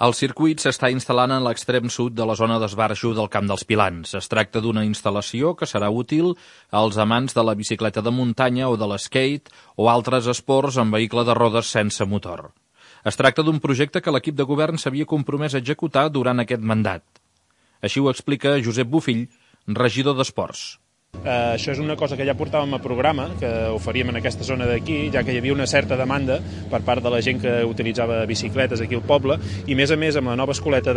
El circuit s'està instal·lant en l'extrem sud de la zona d'esbarjo del Camp dels Pilans. Es tracta d'una instal·lació que serà útil als amants de la bicicleta de muntanya o de l'skate o altres esports amb vehicle de rodes sense motor. Es tracta d'un projecte que l'equip de govern s'havia compromès a executar durant aquest mandat. Així ho explica Josep Bofill, regidor d'Esports. Això és una cosa que ja portàvem a programa, que ho faríem en aquesta zona d'aquí, ja que hi havia una certa demanda per part de la gent que utilitzava bicicletes aquí al poble, i a més amb la nova escoleta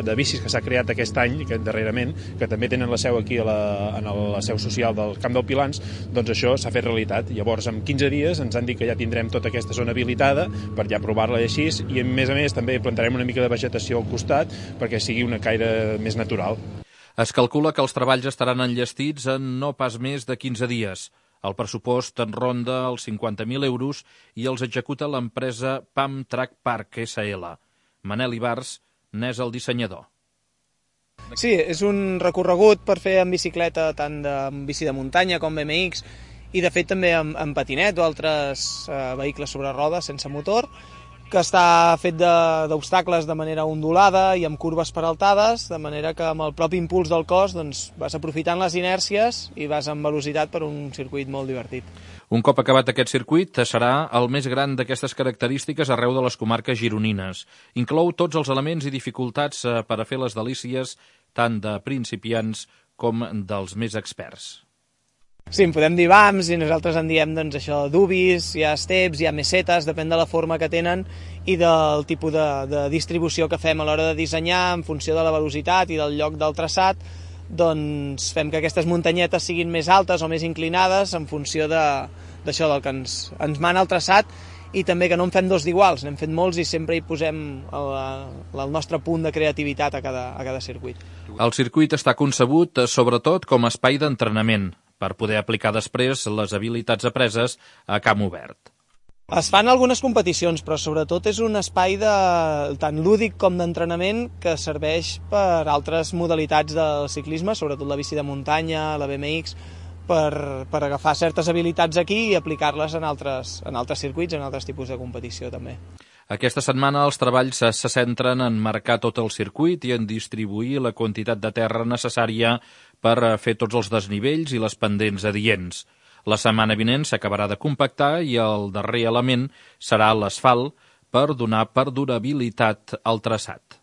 de bicis que s'ha creat aquest any, darrerament, que també tenen la seu aquí en la seu social del Camp dels Pilans, doncs això s'ha fet realitat. Llavors, en 15 dies ens han dit que ja tindrem tota aquesta zona habilitada per ja provar-la així, i a més també plantarem una mica de vegetació al costat perquè sigui una caire més natural. Es calcula que els treballs estaran enllestits en no pas més de 15 dies. El pressupost en ronda els 50.000 euros i els executa l'empresa PAM Track Park SL. Manel Ibars n'és el dissenyador. Sí, és un recorregut per fer en bicicleta, tant en bici de muntanya com BMX, i de fet també en patinet o altres vehicles sobre rodes sense motor, que està fet d'obstacles de manera ondulada i amb curves peraltades, de manera que amb el propi impuls del cos vas aprofitant les inèrcies i vas amb velocitat per un circuit molt divertit. Un cop acabat aquest circuit, serà el més gran d'aquestes característiques arreu de les comarques gironines. Inclou tots els elements i dificultats per a fer les delícies tant de principiants com dels més experts. Sí, en podem dir vams i nosaltres en diem això, dubis, hi ha steps, hi ha mesetes, depèn de la forma que tenen i del tipus de distribució que fem a l'hora de dissenyar en funció de la velocitat i del lloc del traçat, doncs fem que aquestes muntanyetes siguin més altes o més inclinades en funció d'això, del que ens mana el traçat, i també que no en fem dos d'iguals, n'hem fet molts i sempre hi posem el nostre punt de creativitat a cada circuit. El circuit està concebut sobretot com a espai d'entrenament, per poder aplicar després les habilitats apreses a camp obert. Es fan algunes competicions, però sobretot és un espai tant lúdic com d'entrenament que serveix per altres modalitats del ciclisme, sobretot la bici de muntanya, la BMX, per agafar certes habilitats aquí i aplicar-les en altres circuits, en altres tipus de competició també. Aquesta setmana els treballs se centren en marcar tot el circuit i en distribuir la quantitat de terra necessària per fer tots els desnivells i les pendents adients. La setmana vinent s'acabarà de compactar i el darrer element serà l'asfalt per donar perdurabilitat al traçat.